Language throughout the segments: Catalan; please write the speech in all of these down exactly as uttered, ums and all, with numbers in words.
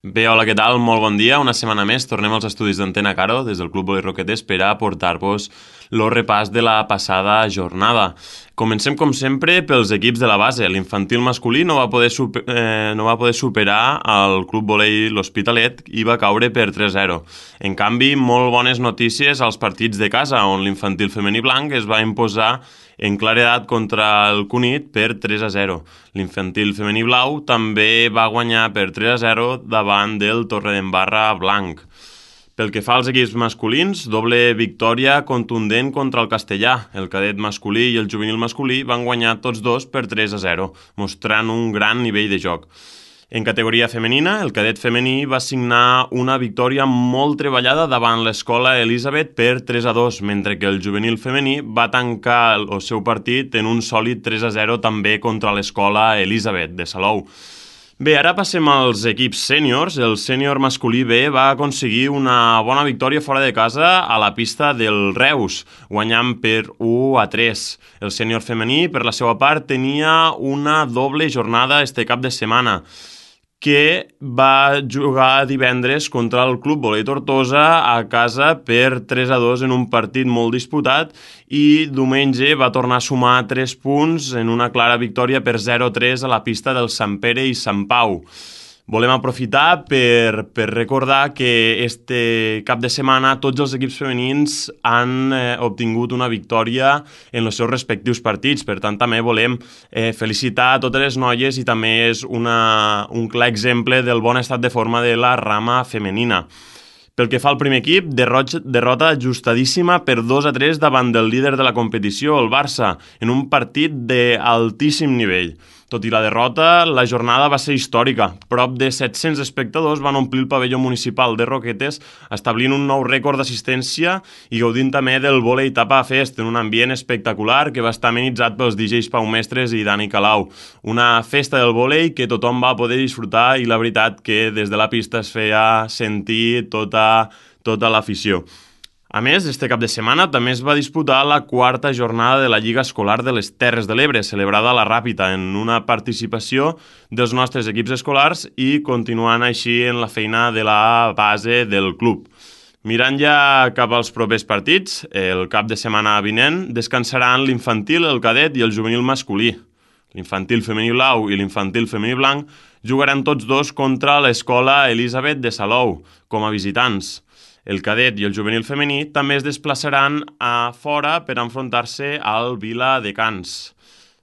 Bé, hola, què tal? Molt bon dia. Una setmana més tornem als estudis d'Antena Caro des del Club Volei Roquetes per a portar-vos el repàs de la passada jornada. Comencem, com sempre, pels equips de la base. L'infantil masculí no va poder, super, eh, no va poder superar el Club Volei L'Hospitalet i va caure per tres a zero. En canvi, molt bones notícies als partits de casa, on l'infantil femení blanc es va imposar en claredat contra el Cunit per tres a zero. L'infantil femení blau també va guanyar per tres a zero davant del Torredembarra blanc. Pel que fa als equips masculins, doble victòria contundent contra el Castellà. El cadet masculí i el juvenil masculí van guanyar tots dos per tres a zero, mostrant un gran nivell de joc. En categoria femenina, el cadet femení va signar una victòria molt treballada davant l'escola Elisabet per tres a dos, mentre que el juvenil femení va tancar el seu partit en un sòlid tres a zero també contra l'escola Elisabet de Salou. Bé, ara passem als equips sèniors. El sènior masculí B va aconseguir una bona victòria fora de casa a la pista del Reus, guanyant per u a tres. El sènior femení, per la seva part, tenia una doble jornada este cap de setmana, que va jugar divendres contra el Club Volei Tortosa a casa per tres a dos en un partit molt disputat i diumenge va tornar a sumar tres punts en una clara victòria per zero a tres a la pista del Sant Pere i Sant Pau. Volem aprofitar per, per recordar que este cap de setmana tots els equips femenins han eh, obtingut una victòria en els seus respectius partits. Per tant, també volem eh, felicitar a totes les noies i també és una, un clar exemple del bon estat de forma de la rama femenina. Pel que fa al primer equip, derrota ajustadíssima per dos a tres davant del líder de la competició, el Barça, en un partit d'altíssim nivell. Tot i la derrota, la jornada va ser històrica. Prop de set-cents espectadors van omplir el pavelló municipal de Roquetes, establint un nou rècord d'assistència i gaudint també del Volei Tapa Fest, en un ambient espectacular que va estar amenitzat pels D Js Pau Mestres i Dani Calau. Una festa del volei que tothom va poder disfrutar i la veritat que des de la pista es feia sentir tota, tota l'afició. A més, este cap de setmana també es va disputar la quarta jornada de la Lliga Escolar de les Terres de l'Ebre, celebrada a la Ràpita, en una participació dels nostres equips escolars i continuant així en la feina de la base del club. Mirant ja cap als propers partits, el cap de setmana vinent descansaran l'infantil, el cadet i el juvenil masculí. L'infantil femení blau i l'infantil femení blanc jugaran tots dos contra l'escola Elisabet de Salou, com a visitants. El cadet i el juvenil femení també es desplaçaran a fora per enfrontar-se al Vila de Cans.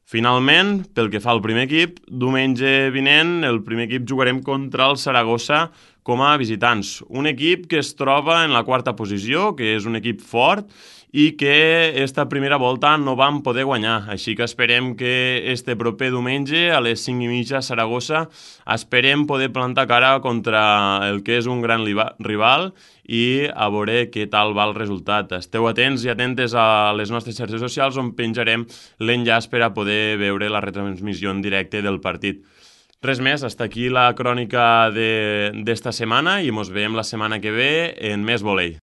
Finalment, pel que fa al primer equip, diumenge vinent el primer equip jugarem contra el Saragossa com a visitants. Un equip que es troba en la quarta posició, que és un equip fort i que esta primera volta no van poder guanyar. Així que esperem que este proper diumenge a les cinc i mitja a Saragossa esperem poder plantar cara contra el que és un gran rival i a veure què tal va el resultat. Esteu atents i atentes a les nostres xarxes socials on penjarem l'enllaç per a poder veure la retransmissió en directe del partit. Res més, hasta aquí la crònica d'esta setmana i mos veiem la setmana que ve en més volei.